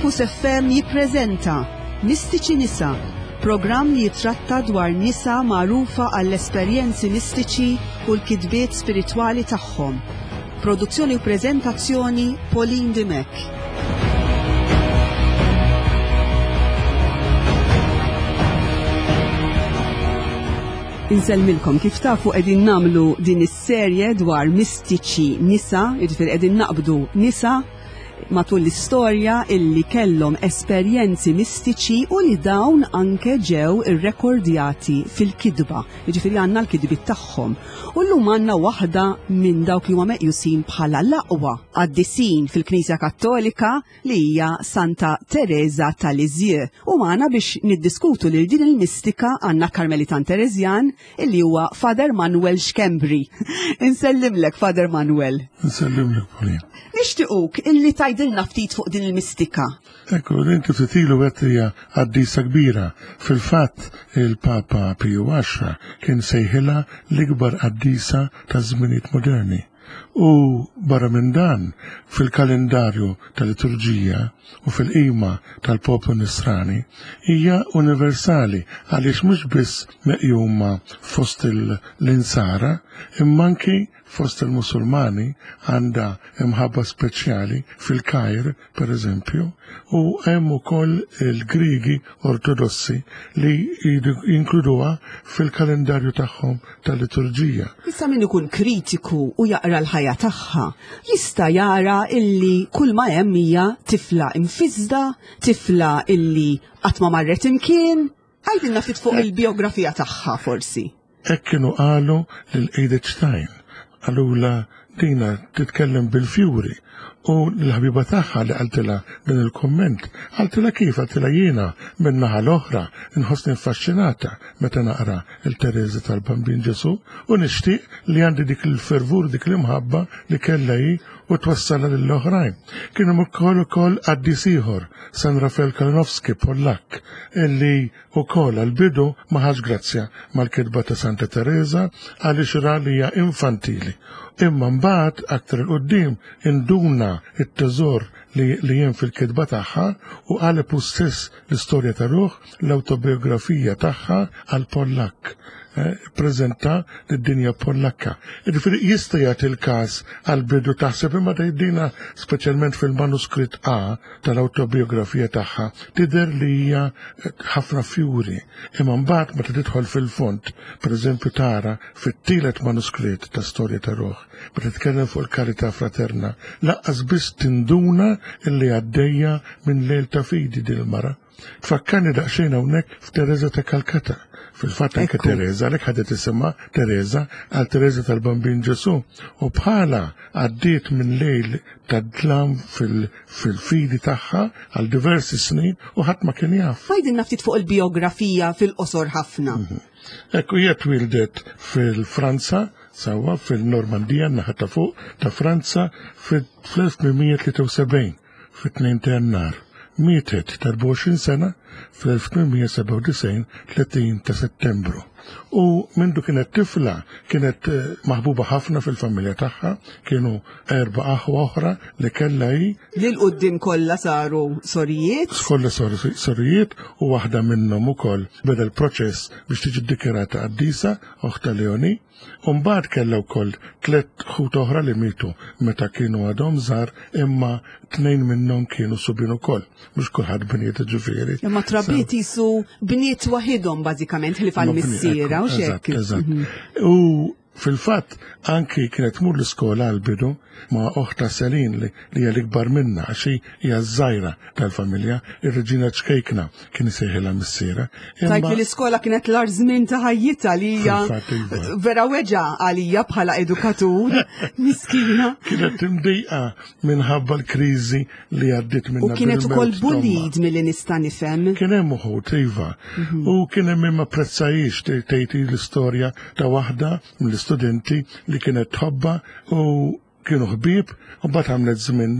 Fokus FM jippreżenta Mistiċi Nisa, programm li jitratta dwar nisa magħrufa għall-esperjenzi mistiċi u l-kitbiet spiritwali tagħhom. Produzzjoni u preżentazzjoni Pauline Dimech. Insellmilkom kif tafu qegħdin nagħmlu din is-serje dwar mistiċi nisa, jiġifieri qegħdin naqbdu nisa matul l-istorja illi kellhom esperjenzi mistiċi u li dawn anke ġew irrekordjati fil-kitba, jiġifieri għandna l-kitbiet tagħhom. U llum għandna waħda minn dawk li huma meqjusin bħala l-aqwa qaddisin fil-Knisja Kattolika li hija Santa Tereża ta' Lisieux. U magħna biex niddiskutu lil din il-mistika għandna Karmelitan Tereżjan illi huwa Father Manuel Schembri. Insellimlek Father Manuel. Insellimlek Pauline. Nixtiequk illi tgħidilna ftit fuq din il-mistika. Ekku, inti ftit ilu għedt hija qaddisa kbira. Fil-fatt il-Papa Piju Għaxra kien sejħilha l-ikbar qaddisa taż-żminijiet moderni. U barra minn dan, fil-kalendarju tal-liturġija u fil-qima tal-poplu nisrani, hija universali għaliex mhux biss meqjuma fost l-insara, imma anki fost il-Musulmani għandha imħabba speċjali fil-Kajr, per eżempju, u hemm ukoll il-Griegi Ortodossi li jinkluduha fil-kalendarju tagħhom tal-liturġija. Issa min ikun kritiku u jaqra l-ħajja tagħha, jista' jara illi kull ma hemm hija tifla imfisda, tifla illi qatt ma marret imkien. Għidilna ftit fuq il-biografija tagħha forsi. Hekk kienu qalu lil Edith Stein. Qalulha dina titkellem bil-fjuri u l-ħabiba tagħha li qaltilha din il-kumment, qaltilha kif qaltilha jiena min-naħa l-oħra nħossni affaxxinata meta naqra il Tereża tal-Bambin Ġesù u nixtieq li għandi dik il-fervur dik l-imħabba li kellha hi u twassalha lill-oħrajn. Kien hemm ukoll ukoll qaddis ieħor, San Rafael Kalinowski Pollakk, illi Ukoll għall-bidu ma ħax grazzja mal-kitba ta' Santa Tereża għaliex ra li hija infantili. Imma mbagħad aktar 'il quddiem induna t-teżor li li hemm fil-kitba tagħha u qaleb hu stess l-istorja ta' ruħ l-awtobiografija tagħha għall-Pollakk. Ippreżenta lid-dinja Pollakka. Jiġifieri jista' jagħti l-każ għall-bidu taħseb imma tgħid dina speċjalment fil-manuskritt A tal-awtobiografija tagħha tidher li hija ħafna fjuri, imma mbagħad meta tidħol fil-fond, pereżempju tara fit-tielet manuskritt ta' Storja ta' Ruħ, meta titkellem fuq il-karità fraterna, lanqas biss tinduna illi għaddejja minn lejl ta' fidi din il-mara. Tfakkarni daqsxejn hawnhekk f'Tereża ta' Kalkata. Fil-fatt anke Tereża, għalhekk ħadet isimha Tereża għal Tereża tal-Bambin Ġesù. U bħala għaddiet minn lejl ta' dlam fil-fidi tagħha għal diversi snin u ħadd ma kien jaf. Għidilna ftit fuq il-bijografija fil-qosor ħafna. Mhm. Ekku hija twildet fil-Franza, sewwa fil-Normandija, naħa ta' fuq ta' Franza fl-1873. Fit-2 ta' Jannar. Mietet ta' 24 sena fl-1897 30 ta' Settembru. U mindu kienet tifla kienet eh, maħbuba ħafna fil-familja tagħha, kienu erba' aħwa oħra li kellha hi. Li l-qudiem kollha saru sorijiet? Kollha sorijiet u waħda minnhom ukoll beda l-proċess biex tiġi ddikjarata qaddisa, oħta Leoni. U mbagħad kellha wkoll tlett ħut oħra li mietu meta kienu għadhom żgħar imma tnejn minnhom kienu subien ukoll. Mhux kulħadd bniet ġifieri. Imma trabbiet jisu bniet waħidhom bażikament ħlief għal missiera u x'hekk. Eżatt. Mhm. U fil-fatt anki kienet tmur l-iskola għal-bidu ma' oħta Selin li hija l-ikbar minna għax hija ż-żgħira tal-familja, ir-reġina ċkejkna kien isejħilha missiera. Tajt li l-iskola kienet l-ar żmien ta' ħajjitha li hija iva. vera weġa għalija bħala edukatur, miskina. Kienet imdejqa minħabba l-kriżi li għaddiet minna. U kienet ukoll bullied milli nista' nifhem. Kien hemm uħud iva. Mhm. U kien hemm min ma prezzajiex tgħid l-istorja ta' waħda mill-istudenti li kienet tħobba u Kienu ħbieb u mbagħad għamlet żmien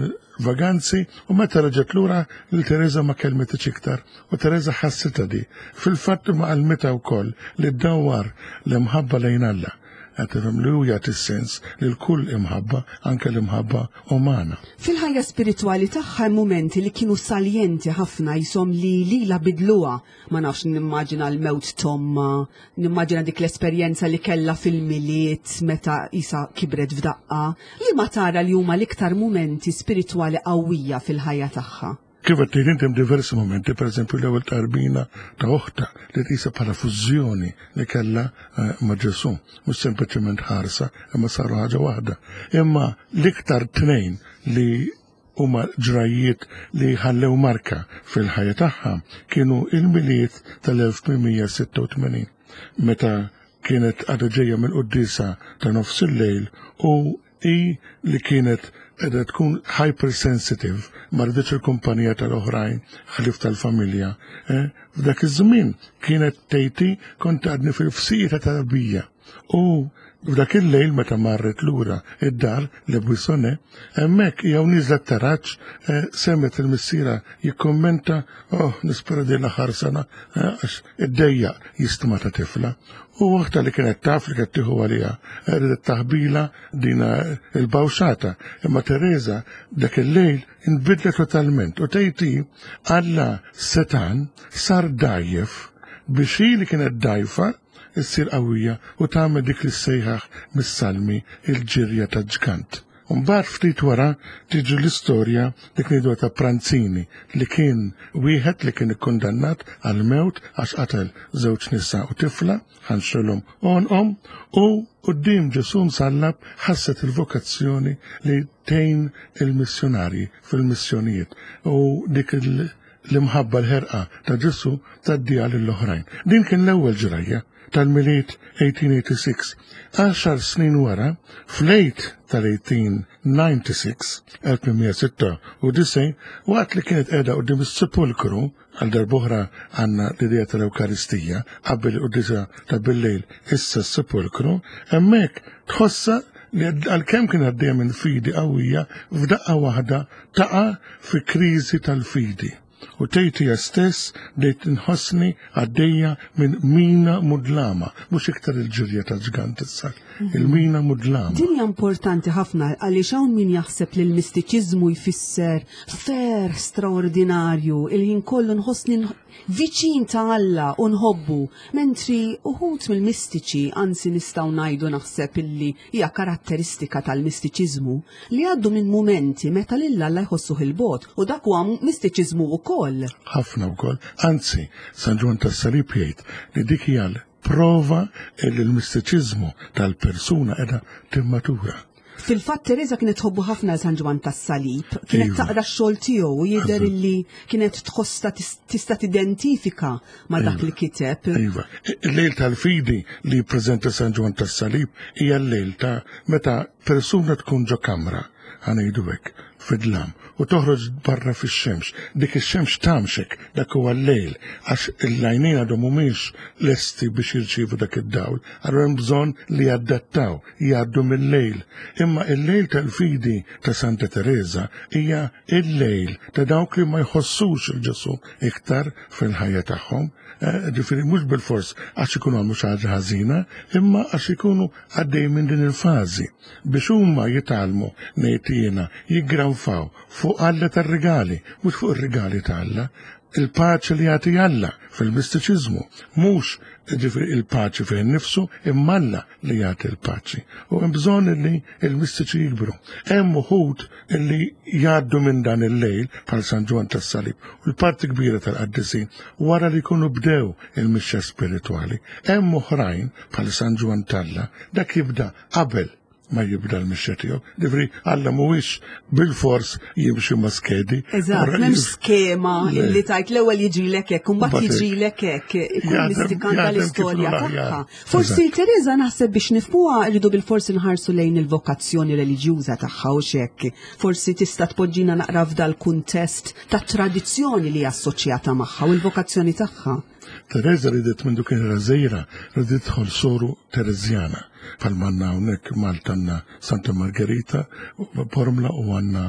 vaganzi u meta reġgħet lura lil Tereża ma kellmitx iktar u Tereża ħassitha di. Fil-fatt imma għallmitha wkoll li ddawwar l-imħabba lejn Alla. Qed tifhem li hu jagħti sens lil kull imħabba, anke l-imħabba umana. Fil-ħajja spiritwali tagħha hemm mumenti li kienu saljenti ħafna jisom li lila bidluha. Ma nafx nimmaġina l-mewt tomma, nimmaġina dik l-esperjenza li kellha fil-miliet meta isa kibret f'daqqa, li ma tara li huma l-iktar mumenti spiritwali qawwija fil-ħajja tagħha. Kif qed tgħid inti hemm diversi mumenti, pereżempju l-ewwel tqarbina ta' oħta li tqisha bħala fużjoni li kellha eh, ma' Ġesù, mhux sempliċement ħarsa, imma saru ħaġa waħda. Imma l-iktar tnejn li huma ġrajjiet li ħallew marka fil-ħajja tagħha kienu il-miliet tal-1886 meta kienet għadha ġejja minn quddiesa ta' nofs il-lejl u Hi li kienet qiegħda tkun hypersensitive, ma riditx il-kumpanija tal-oħrajn ħlief tal-familja. Eh? F'dak iż-żmien kienet tgħid kont għadni fil-fsija ta' tarbija. U f'dak il-lejl meta marret lura id-dar li Buissone, hemmhekk jew nieżla t-taraġ eh, semmet il-missiera jikkommenta oh nispera din l-aħħar sena eh, għax iddejjaq jistma ta' tifla. U waħda li kienet taf li kienet tieħu għaliha, ridet taħbila dina il-bawxata. Imma Teresa dak il-lejl inbidlet totalment u tgħid Alla setan sar dajjef biex hi li kienet dajfa issir qawwija u tagħmel dik li ssejjaħ mis-salmi il-ġirja ta' ġgant. Mbagħad ftit wara tiġi l-istorja dik ngħidu ta' Pranzini li kien wieħed li kien ikkundannat għal mewt għax qatel żewġ nisa u tifla ħanxilhom għonqhom u quddiem Ġesù msallab ħasset il-vokazzjoni li tgħin il-missjonarji fil-missjonijiet u dik l-imħabba l-ħerqa ta' Ġesù tgħaddiha lill-oħrajn. Din kien l-ewwel ġrajja tal-Milied 1886. Għaxar snin wara, fl-Għid tal-1896, 1896, waqt li kienet qiegħda quddiem is-sepulkru, għal darb'oħra għandna l-idea tal-Ewkaristija, qabel il-quddiesa ta' bil-lejl, issa s-sepulkru, hemmhekk tħossha li għalkemm kien għaddejja minn fidi qawwija, f'daqqa waħda taqa' fi kriżi tal-fidi. U tgħid hija stess bdejt inħossni għaddejja minn mina mudlama, mhux iktar il-ġirja ta' ġgant issa, il-mina mudlama. Din hija importanti ħafna għaliex hawn min jaħseb li l-mistiċiżmu jfisser ferħ straordinarju, il-ħin kollu nħossni viċin ta' Alla u nħobbu, mentri uħud mill-mistiċi, anzi nistgħu ngħidu naħseb illi hija karatteristika tal-mistiċiżmu li għaddu minn mumenti meta lil Alla jħossuh il-bogħod u dak huwa mistiċiżmu wkoll. Ħafna wkoll. Anzi, San Ġwann tas-Salib jgħid li dik hija l-prova li l-mistiċiżmu tal-persuna qiegħda timmatura. Fil-fatt Teresa kienet tħobbu ħafna San Ġwann tas-Salib, kienet iva. taqra x-xogħol tiegħu u jidher illi kienet tħossa tista' tidentifika ma' dak li kiteb. Iva. Il-lejl tal-fidi li jippreżenta San Ġwann tas-Salib hija l-lejl ta' meta persuna tkun ġo kamra, ħa ngħidu hekk, fid-dlam, u toħroġ barra fix-xemx. Dik ix-xemx tgħammxek, dak huwa l-lejl, għax l-għajnejn għadhom mhumiex lesti biex jirċievu dak id-dawl, allura hemm bżonn li jadattaw, jgħaddu mil-lejl. Imma il-lejl tal-fidi ta' Santa Tereża hija il-lejl ta' dawk li ma jħossux il-Ġesù iktar fil-ħajja tagħhom. Eh, ġifieri mhux bilfors għax ikunu għamlu xi ħaġa ħażina, imma għax ikunu għaddej minn din il-fażi biex huma jitgħallmu ngħid jiena jiggranfaw fuq Alla tar-rigali, mhux fuq ir-rigali ta' Alla, il-paċi li jagħti Alla fil-mistiċiżmu, mhux ġifieri il-paċi fih innifsu imma Alla li jagħti l-paċi. U hemm bżonn li l-mistiċi jikbru. Hemm uħud li jgħaddu minn dan il-lejl bħal San Ġwann tas-Salib u l-parti kbira tal-qaddisin wara li jkunu bdew il-mixja spiritwali. Hemm oħrajn bħal San Ġwann t'Alla dak jibda qabel ma jibda l-mixja tiegħu. Ġifieri Alla mhuwiex bil-fors jimxi ma' skedi. Eżatt, m'hemmx skema li tajt l-ewwel jiġrilek hekk, u mbagħad jiġrilek hekk. Kull mistikanta l-istorja tagħha. Forsi Teresa naħseb biex nifhmuha rridu bil-forsi nħarsu lejn il-vokazzjoni reliġjuża tagħha u x'hekk. Forsi tista' tpoġġina naqra f'dal kuntest ta' tradizzjoni li assoċjata magħha u l-vokazzjoni tagħha. Teresa ridet minn kien żgħira, ridet tidħol soru Tereżjana. Bħalma għandna hawnhekk Malta għandna Santa Margherita, Bormla u għandna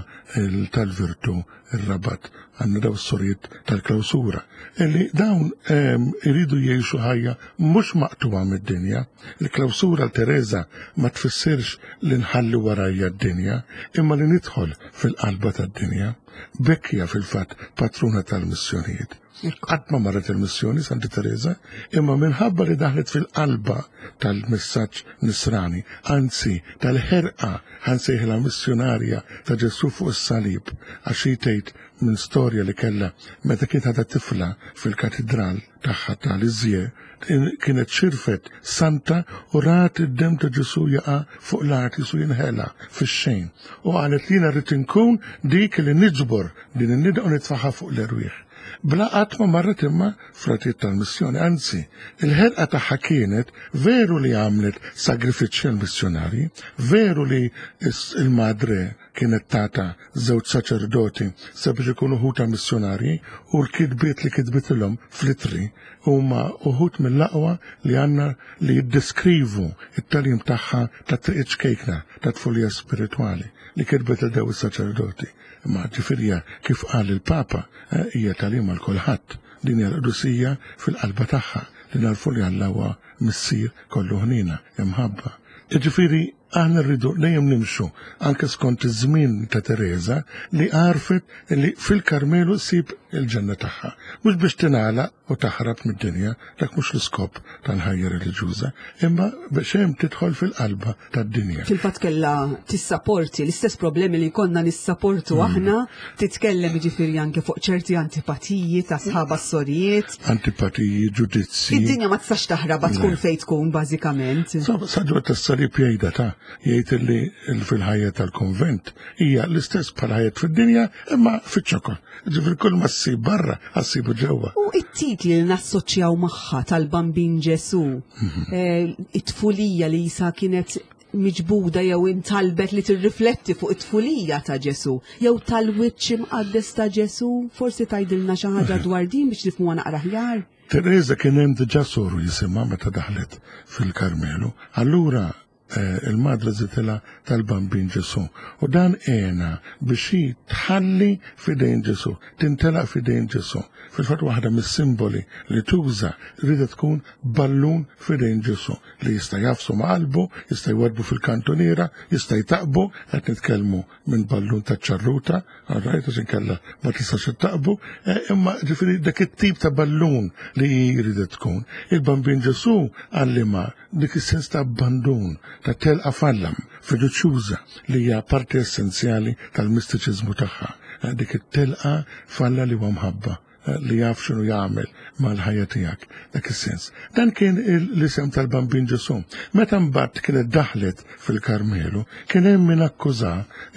tal-Virtu ir-Rabat, għandna daw s-sorijiet tal-klawsura. Illi dawn ehm, iridu jgħixu ħajja mhux maqtuha mid-dinja. Il-klawsura l-Teresa ma tfissirx li nħalli warajja d-dinja, imma li nidħol fil-qalba tad-dinja. B'hekk hija fil-fatt patruna tal-missjonijiet. Qatt ma marret il-missjoni Santa Teresa, imma minħabba li daħlet fil-qalba tal-messaġġ nisrani, anzi tal-ħerqa ħansejħilha missjonarja ta' Ġesù fuq is-salib, għax hi tgħid minn storja li kellha meta kienet għadha tifla fil-katidral tagħha ta' Lisieux, kienet xirfet santa u rat id-demm ta' Ġesù jaqa' fuq l-art jisu jinħela fix-xejn. U qalet li jiena rrid inkun dik li niġbor din in-nida u nitfaħħa fuq l-erwieħ. Bla qatt ma marret imma fratiet tal-missjoni, anzi, il-ħerqa tagħha kienet veru li għamlet sagrifiċċji għall-missjonarji, veru li il-madre kienet tata żewġ saċerdoti sabiex ikunu ħuta missjonarji u l-kitbiet li kitbitilhom fl-itri huma uħud mill-aqwa li għandna li jiddeskrivu it-tagħlim tagħha ta' triq ċkejkna ta' tfulija spiritwali li kitbet il daw is-saċerdoti. Imma ġifieri kif qal il-Papa, eh, hija tagħlim għal kulħadd. Din hija l-qdusija fil-qalba tagħha li narfu li Alla huwa missier kollu ħniena, imħabba. Ġifieri aħna rridu dejjem nimxu anke skont iż-żmien ta' Teresa li għarfet li fil-Karmelu ssib il-ġenna tagħha. Mhux biex tingħalaq u taħrab mid-dinja, dak mhux l-iskop tal-ħajja reliġjuża, imma biex hemm tidħol fil-qalba tad-dinja. Fil-fatt kellha tissaporti l-istess problemi li konna nissaportu aħna, titkellem jiġifieri anke fuq ċerti antipatiji ta' sħaba s-sorijiet. Antipatiji, ġudizzji. Id-dinja ma tistax taħrab tkun fejn tkun bażikament. Saġwa tas-salib jgħidha ta' jgħid li fil-ħajja tal-konvent hija l-istess bħal ħajja fid-dinja imma fiċ-ċokon. Ġifieri kull ma ssib barra, ssibu ġewwa. U it-titli li nassoċjaw magħha tal-Bambin Ġesu, mhm. eh, it-tfulija li jisa kienet miġbuda jew intalbet li tirrifletti fuq it-tfulija ta' Ġesu, jew tal-wiċċ imqaddes ta' Ġesu, forsi tgħidilna xi ħaġa mhm. dwar din biex nifhmuha naqra aħjar. Teresa kien hemm diġà soru jisimha meta daħlet fil-Karmelu. Allura Eh, il-madre żitilha tal-Bambin Ġesu. U dan għena biex hi tħalli fidejn Ġesu, tintelaq fidejn Ġesu. Fil-fatt waħda mis-simboli li tuża rida tkun ballun fidejn Ġesu li jista' jafsu ma' qalbu, jista' jwadbu fil-kantuniera, jista' jtaqbu, qed nitkellmu minn ballun ta' ċarruta, għarrajt, għax inkella ma tistax ittaqbu, eh, imma ġifieri dak it-tip ta' ballun li jrid tkun. Il-Bambin Ġesu għallima dik is-sens ta' abbandun, ta' telqa fallam, fiduċjuża li hija parti essenzjali tal-mistiċiżmu tagħha. Eh, dik it-telqa falla li huwa mħabba li jaf x'inhu jagħmel mal-ħajja tiegħek dak is-sens. Dan kien l-isem tal-Bambin Ġesu. Meta mbagħad kienet daħlet fil-Karmelu, kien hemm min akkuża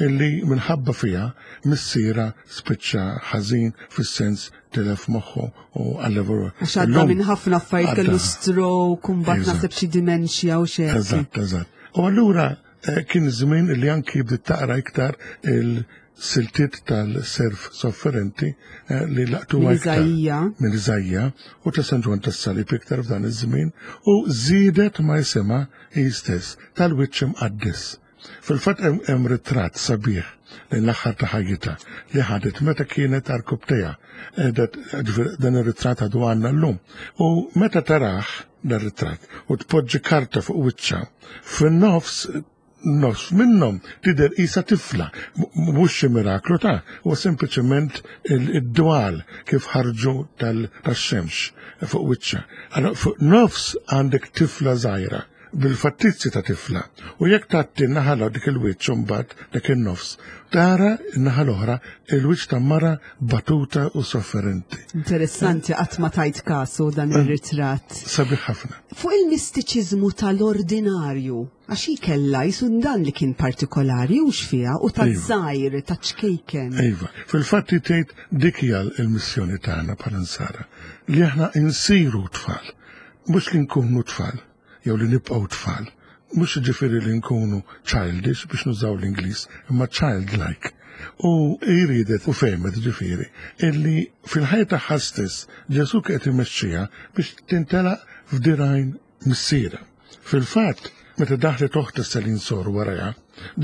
illi minħabba fiha missiera spiċċa ħażin fis-sens tilef moħħu u għallevu. Għax għadda minn ħafna affarijiet kellu stroke, u mbagħad naħseb xi dementia u xi. Eżatt, eżatt. U allura eh, kien żmien li anki bdiet taqra iktar il- siltiet tal-serf sofferenti eh, li laqtu iktar minn Iżajja u ta' San Ġwann tas-Salib iktar f'dan iż-żmien u żiedet ma jisimha hi stess tal-wiċċ imqaddes. Fil-fatt hemm ritratt sabiħ lejn l-aħħar ta' ħajjitha li ħadet meta kienet arkubtejha. Eh, dan ir-ritratt għadu għandna llum. U meta taraħ dan ritratt u tpoġġi karta fuq wiċċha, fin-nofs nofs minnhom tidher qisha tifla, mhux xi miraklu ta' huwa sempliċement id-dwal kif ħarġu tax-xemx fuq wiċċha. Allora fuq nofs għandek tifla żgħira bil-fattizzi ta' tifla. U jekk tgħatti n-naħa dik il-wiċċ imbagħad dak in-nofs, tara n-naħa l-oħra il-wiċċ ta' mara batuta u sofferenti. Interessanti qatt ma tajt kasu dan ir-ritratt. Sabiħ ħafna. Fuq il-mistiċiżmu tal-ordinarju, Għax hi kellha jisu dan li kien partikolari hux fiha u ta' żgħir, ta' ċkejken. Iva, fil-fatt hi tgħid dik hija l-missjoni tagħna bħala nsara, li aħna nsiru tfal, mhux li nkunu tfal jew li nibqgħu tfal. Mhux jiġifieri li nkunu childish biex nużaw l-Ingliż, imma childlike. U hi riedet u fehmet ġifieri illi fil-ħajja tagħha stess Ġesù kien qed imexxiha biex tintelaq f'dirgħajn missierha. Fil-fatt, Meta daħlet oħta Selin Sor warajha,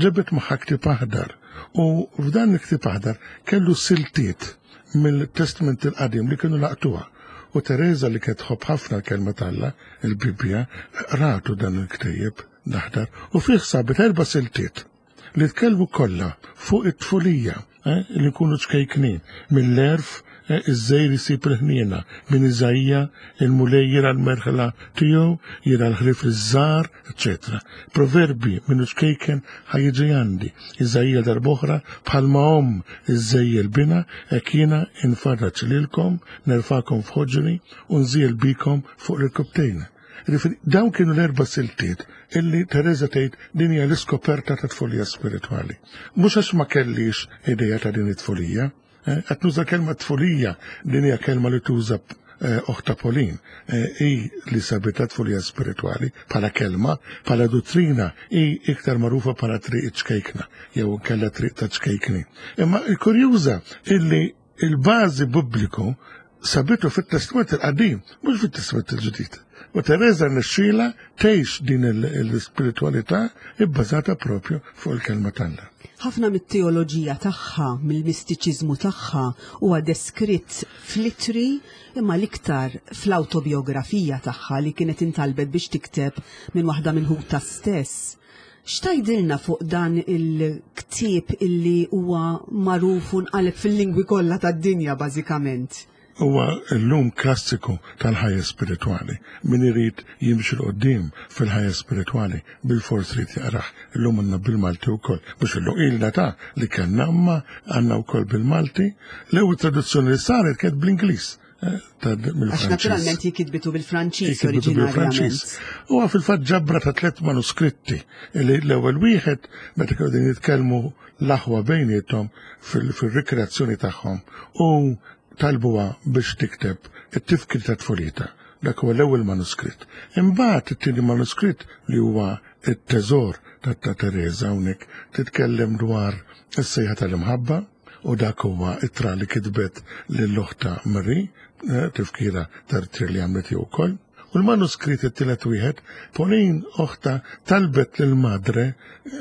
ġabet magħha ktieb aħdar u f'dan il-ktieb aħdar kellu siltiet mill-Testment il-Qadim li kienu laqtuha. U Tereża li kienet tħobb ħafna l-kelma t'Alla, il-Bibbja, ratu dan il-ktejjeb l-aħdar u fih sabet erba' siltiet li tkellmu kollha fuq it-tfulija, eh, li nkunu ċkejknin, mill-għerf eh, iż-żejr isib il-ħniena, minn Iżaija il-Mulej jira l-merħla tiegħu, jira l-ħrif iż-żgħar, eċetera. Proverbi minnu ċkejken ħajġi għandi, Iżaija darb'oħra bħalma omm iżżejjel bina, hekk jiena infarraġ lilkom, nerfakom f'ħoġri u nżiel bikom fuq l-irkubtejn. Jiġifieri dawn kienu l-erba' siltiet illi Tereża tgħid din hija l-iskoperta ta' tfulija spiritwali. Mhux għax ma kellix idea ta' din it-tfulija, eh, qed nuża kelma tfulija, din hija kelma li tuża eh, oħta Polin, eh, hi li sabitha tfulija spiritwali bħala kelma, bħala duttrina hi iktar magħrufa bħala triq ċkejkna jew kella triq ta' ċkejkni. Imma il-kurjuża illi Il-bażi bubbliku sabitu fit-Testment il-Qadim, mhux fit-Testment il-Ġdid. U Tereża rnexxielha tgħix din l-ispiritwalità ibbażata propju fuq il-kelma t'Alla. Ħafna mit-teoloġija tagħha, mill-mistiċiżmu tagħha huwa deskritt fl-ittri imma l-iktar fl-awtobiografija tagħha li kienet intalbet biex tikteb minn waħda minn ħutha stess. X'tgħidilna fuq dan il-ktieb illi huwa magħruf u nqaleb fil-lingwi kollha tad-dinja bażikament? Huwa llum klassiku tal-ħajja spiritwali. Min irid jimxi 'l quddiem fil-ħajja spiritwali bilfors irid jaqrah. Illum għandna bil-Malti wkoll. Mhux illum, ilna ta' li kellna imma għandna wkoll bil-Malti. L-ewwel traduzzjoni li saret kienet bl-Ingliż. Għax naturalment jikitbitu bil-Franċiż oriġinarjament. Huwa fil-fatt ġabra ta' tliet manuskritti li l-ewwel wieħed meta kienu din jitkellmu l-aħwa bejniethom fil-rikreazzjoni tagħhom u talbuha biex tikteb it-tifkir ta' tfulita. Dak huwa l-ewwel manuskritt. Imbagħad it-tieni manuskritt li huwa t-teżor ta' Teresa hawnhekk titkellem dwar is-sejħa tal-imħabba U dak huwa ittra li kitbet lil oħtha Marie, eh, tifkira tar-tir li għamlet hi wkoll. U l-manuskrit it-tielet wieħed, Pauline oħta talbet lil madre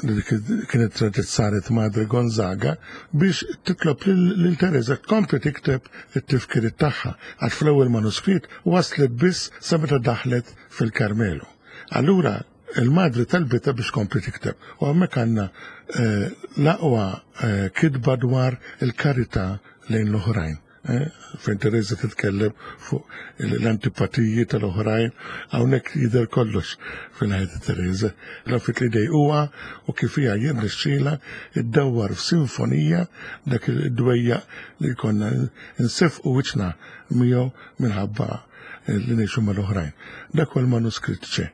li kienet reġgħet saret Madre Gonzaga biex titlob lil Teresa tkompli tikteb it-tifkiriet tagħha għax fl-ewwel manuskrit waslet biss sa meta daħlet fil-Karmelu. Allura Il-madre talbitha biex tkompli tikteb u hemmhekk għandna eh, l-aqwa eh, kitba dwar il-karità lejn l-oħrajn. Eh, fejn Teresa titkellem fuq l-antipatiji tal-oħrajn, hawnhekk jidher kollox fil-ħajja ta' Teresa. L-affit li dejquha u kif hija jirnexxielha iddawwar f'sinfonija dak id-dwejjaq li konna nsefqu wiċċna miegħu minħabba li ngħixu mal-oħrajn. Dak huwa l-manuskritt ċe.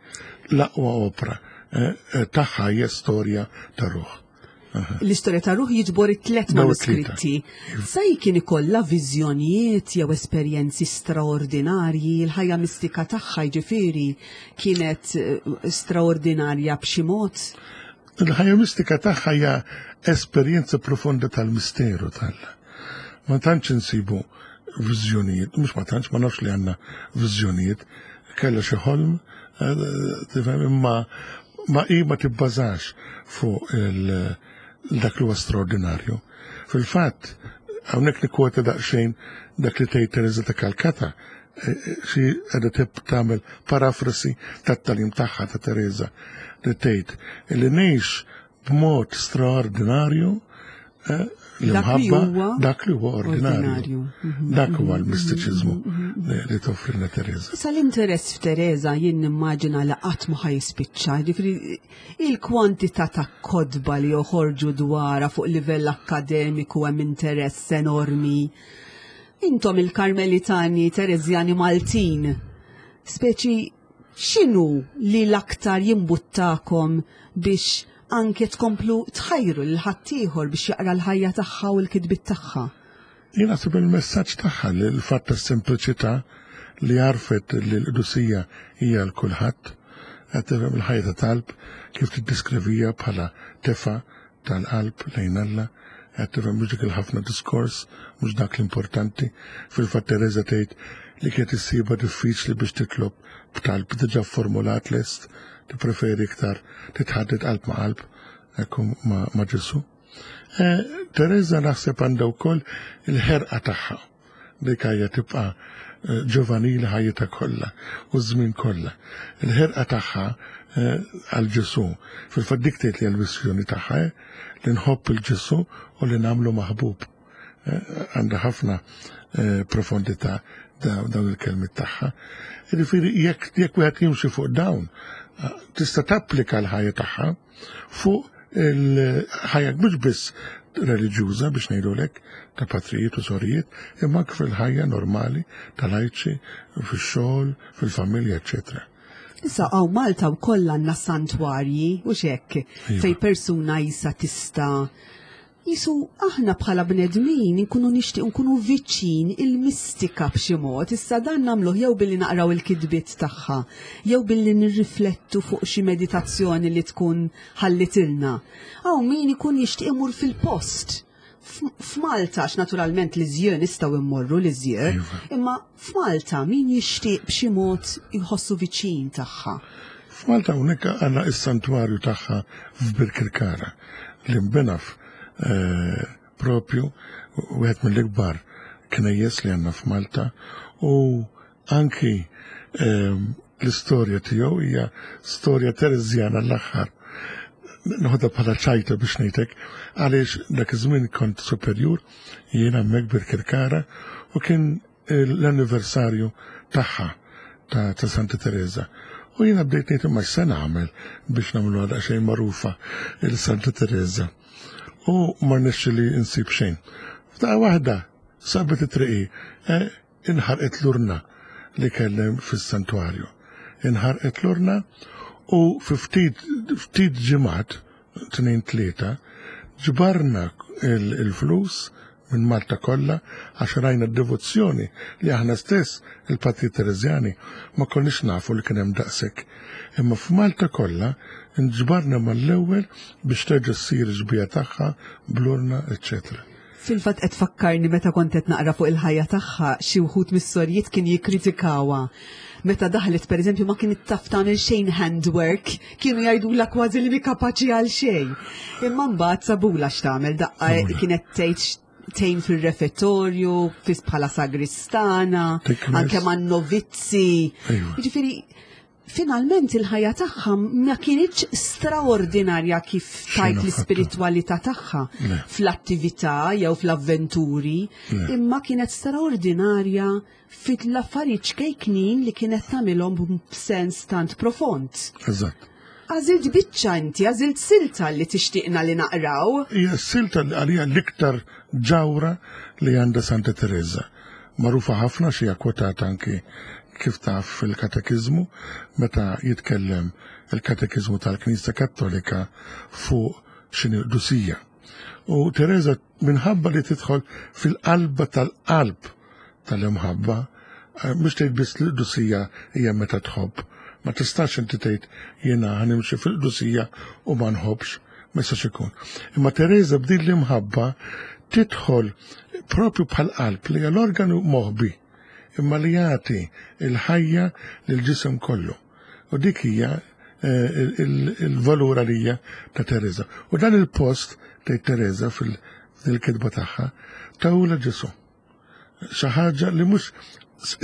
L-aqwa opra eh, eh, tagħha hija storja ta' ruħ. L-istorja ta' ruħ jiġbor it-tlet manuskritti. Sa kien ikollha viżjonijiet jew esperjenzi straordinarji, l-ħajja mistika tagħha jiġifieri kienet eh, straordinarja b'xi mod? Il-ħajja mistika tagħha hija esperjenza profonda tal-misteru tal. Ma tantx insibu viżjonijiet, mhux ma tantx, ma nafx li għandna viżjonijiet, kellha xi ħolm, eh, tifhem imma ma hi ma tibbażax fuq dak li huwa straordinarju. Fil-fatt, hawnhekk nikkwota daqsxejn dak li tgħid Teresa ta' Calcutta, xi qiegħda tagħmel parafrasi tat-tagħlim tagħha ta' Teresa li tgħid li ngħix b'mod straordinarju eh, l-imħabba dak li huwa ordinarju. Mhm. Dak huwa l-mistiċiżmu mhm, mhm, li toffrilna Teresa. Issa l-interess f'Teresa jien nimmaġina li qatt ma ħajspiċċa, jiġifieri il-kwantità ta' kodba li joħorġu dwarha fuq livell akkademiku hemm interess enormi. Intom il-Karmelitani Tereżjani Maltin, speċi x'inhu li l-aktar jimbuttakom biex anke tkomplu tħajru lil ħaddieħor biex jaqra l-ħajja tagħha u l-kitbiet tagħha? Jien naħseb il-messaġġ tagħha li l-fatt tas-sempliċità li għarfet li l-qdusija hija għal kulħadd, qed tifhem il-ħajja ta' talb kif tiddeskrivija bħala tefa' tal-qalb lejn Alla, qed tifhem mhux dik il-ħafna diskors, mhux dak l-importanti. Fil-fatt Tereża tgħid li kienet issibha diffiċli biex titlob b'talb diġà formulat lest. Tippreferi iktar titħadded qalb ma' qalb ekku ma' Ġesù. Eh, Teresa naħseb għandha wkoll il-ħerqa tagħha. Dik hija tibqa' eh, ġovanili ħajjitha kollha u żmien kollha. Il-ħerqa tagħha eh, għal Ġesù. Fil-fatt dik tgħid li l-missjoni tagħha li nħobb il-Ġesù u li nagħmlu maħbub. Għandha ħafna profondità dawn il-kelmiet tagħha. Jiġifieri jekk jekk wieħed jimxi fuq dawn, tista' tapplika l-ħajja tagħha fuq il-ħajja mhux biss reliġjuża biex ngħidulek ta' patrijiet u sorijiet, imma anke fil-ħajja normali tal-lajċi, fix-xogħol, fil-familja, eċetera. Issa hawn Malta wkoll għandna santwarji u xekk iva. fej persuna jisa tista' Jisu aħna bħala bnedmin inkunu nixtieq nkunu viċin il-mistika b'xi mod, issa dan nagħmluh jew billi naqraw il-kitbiet tagħha, jew billi nirriflettu fuq xi meditazzjoni li tkun ħallitilna. Hawn min ikun jixtieq imur fil-post. F'Malta, għax naturalment l-iżjö nistgħu immorru l-iżjö, iva. imma f'Malta min jixtieq b'xi mod jħossu viċin tagħha. F'Malta hawnhekk għandna is-santwarju tagħha f'Birkirkara li nbena eh, propju wieħed mill-ikbar knejjes li għandna f'Malta u anki eh, l-istorja tiegħu hija storja Tereżjana l-aħħar. Noħodha bħala ċajta biex ngħidlek għaliex dak iż-żmien kont superjur jiena hemmhekk Birkirkara u kien l-anniversarju tagħha ta' ta' Santa Teresa. U jiena bdejt ngħid imma x'se nagħmel biex nagħmluha daqsxejn magħrufa il Santa Teresa. U ma rnexxili nsib xejn. F'daqqa waħda sabet it-triqi, eh, inħarqet l-urna li kellem fis-santwarju. Inħarqet l-urna u fi ftit ftit ġimgħat, tnejn tlieta, ġbarna il-flus minn Malta kollha għax rajna d-devozzjoni li aħna stess il-Patri Tereżjani ma konniex nafu li kien hemm daqshekk. Imma f'Malta kollha nġbarna mal-ewwel biex terġa' ssir xbieha tagħha bl-urna, eċċetera. Fil-fatt qed tfakkarni meta kont qed naqra fuq il-ħajja tagħha xi wħud mis-sorjiet kien jikkritikawha. Meta daħlet pereżempju ma kienet taf tagħmel xejn handwork, kienu jgħidulha kważi li mi kapaċi għal xejn. Imma mbagħad sabula x'tagħmel daqqa kienet tgħid tgħin fir-refettorju, fis bħala sagristana, anke man novizzi. Jiġifieri finalment il-ħajja tagħha ma kienitx straordinarja kif tajt l-ispiritwalità tagħha fl-attività jew fl-avventuri, imma kienet straordinarja fit-l-affarijiet ċkejknin li kienet tagħmilhom b'sens tant profond. Eżatt. Għażilt biċċa inti, għażilt silta li tixtieqna li naqraw. Hija silta li għalija l-iktar ġawra li għandha Santa Teresa. Magħrufa ħafna xi kwotata anki kif taf fil-katekiżmu meta jitkellem il-katekiżmu tal-Knisja Kattolika fuq x'inhi qdusija. U Teresa minħabba li tidħol fil-qalba tal-qalb tal-imħabba, eh, mhux tgħid biss l-qdusija hija meta tħobb. Ma tistax inti tgħid jiena ħanimxi fil-qdusija u ma nħobbx, ma jistax ikun. Imma Teresa b'din l-imħabba tidħol propju bħal qalb li hija l-organu moħbi imma li jagħti il-ħajja lill-ġisem kollu. U dik hija eh, il-valur għalija ta' Teresa. U dan il-post tgħid Teresa fil-kitba tagħha tawla Ġesu. Xi ħaġa li mhux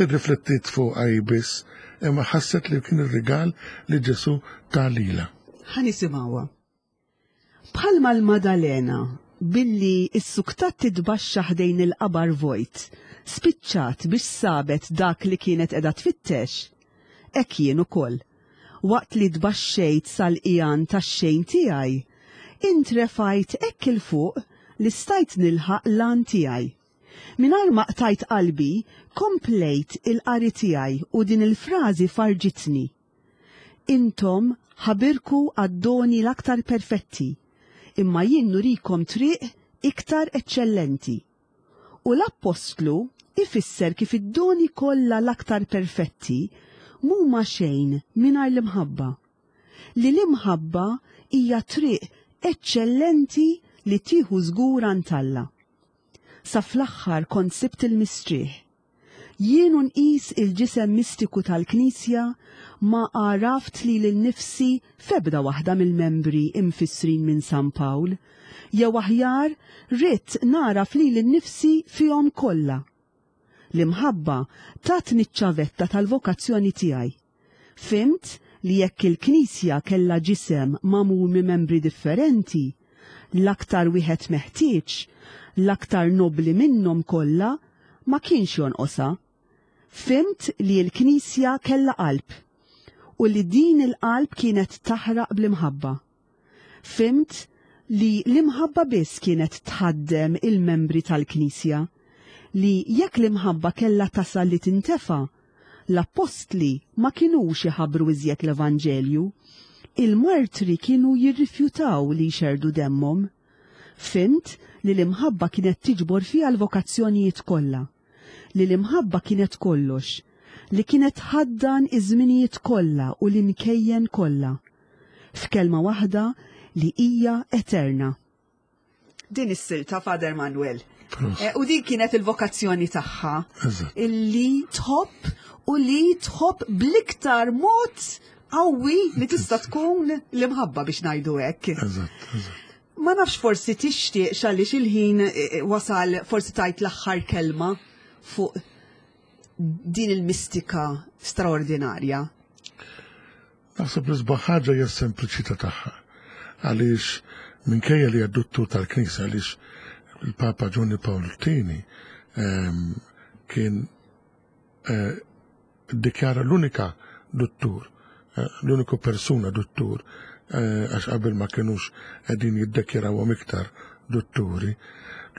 irriflettiet fuqha hi biss, imma ħasset li kien ir-rigal li Ġesu ta lilha. Ħa nisimgħuha. Bħalma l-Madalena, billi issuktat titbaxxa ħdejn il-qabar vojt, spiċċat biex sabet dak li kienet qiegħda tfittex, hekk jien ukoll, waqt li tbaxxejt sal-qigħan tax-xejn tiegħi, intrefajt hekk 'il fuq li stajt nilħaq l-għan tiegħi. Mingħajr ma qtajt qalbi, komplejt il-qari tiegħi u din il-frażi farrġitni. Intom ħabirku għad-doni l-aktar perfetti, imma jien nurikom triq iktar eċċellenti. U l-Appostlu ifisser kif id-doni kollha l-aktar perfetti m'huma xejn mingħajr l-imħabba. Li l-imħabba hija triq eċċellenti li tieħu żgur għand Alla. Sa fl-aħħar kont sibt il-mistrieħ. Jien u nqis il-ġisem mistiku tal-Knisja ma għaraft lili nnifsi f'ebda waħda mill-membri imfissrin minn San Pawl, jew aħjar ridt nagħraf lili nnifsi fihom kollha. L-imħabba tatni ċ-ċavetta tal-vokazzjoni tiegħi. Fhimt li jekk il-Knisja kellha ġisem magħmul minn membri differenti, l-aktar wieħed meħtieġ, l-aktar nobbli minnhom kollha, ma kienx jonqosha. Fhimt li l-Knisja kellha qalb, u li din il-qalb kienet taħraq bl-imħabba. Fhimt li l-imħabba biss kienet tħaddem il-membri tal-Knisja, li jekk l-imħabba kellha tasal li tintefa', l-appostli ma kinux iħabbru iżjed l-Evanġelju, il-martri kienu jirrifjutaw li jxerrdu demmhom. Fhimt li l-imħabba kienet tiġbor fiha l-vokazzjonijiet kollha, li l-imħabba kienet kollox, li kienet tħaddan iż-żminijiet kollha u l-imkejjen kollha. F'kelma waħda li hija eterna. Din is-silta Father Manuel. Eh, u din kienet il-vokazzjoni tagħha. Illi tħobb u li tħobb bl-iktar mod qawwi li tista' tkun l-imħabba biex ngħidu hekk. Ma nafx forsi tixtieq x'għaliex il-ħin eh, eh, wasal forsi tajt l-aħħar kelma fuq din il-mistika straordinarja. Naħseb l-isbaħ ħaġa hija s-sempliċità tagħha. Għaliex minkejja li hija duttur tal-Knisja għaliex il-Papa Ġwanni Pawl Tieni ehm, kien eh, iddikjara l-unika duttur, eh, l-uniku persuna duttur, eh, għax qabel ma kinux qegħdin jiddekjarawhom iktar dutturi.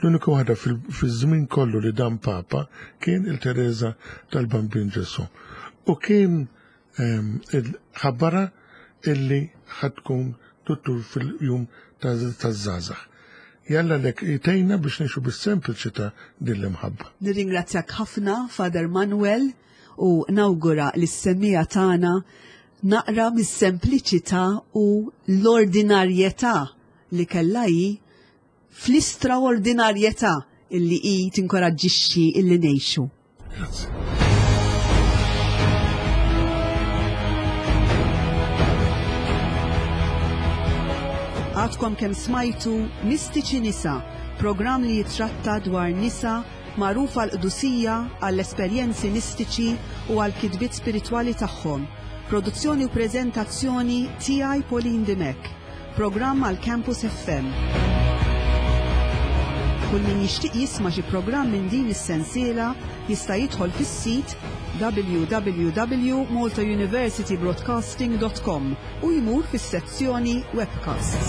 L-uniku waħda fiż-żmien kollu li dan Papa kien il-Teresa tal-Bambin Ġesu. U kien ħabbara illi ħatkun duttur fil-jum taż-żgħażagħ. Jalla lek jtejna biex ngħixu bis-sempliċità din l-imħabba. Nirringrazzjak ħafna, Father Manuel, u nawgura lis-semmiegħa tagħna naqra mis-sempliċità u l-ordinarjetà li kellha hi fl-istraordinarjetà illi hi tinkoraġġixxi illi ngħixu. Grazzi. Għadkom kemm smajtu Mistiċi Nisa, programm li jitratta dwar nisa magħrufa l-qdusija għall-esperjenzi mistiċi u għall-kitbiet spiritwali tagħhom. Produzzjoni u preżentazzjoni tiegħi Pauline Dimech. Programm għal Campus FM. Kull min jixtieq jisma' xi programm minn din is-sensiela jista' jidħol fis-sit www.maltauniversitybroadcasting.com u jmur fis-sezzjoni Webcasts.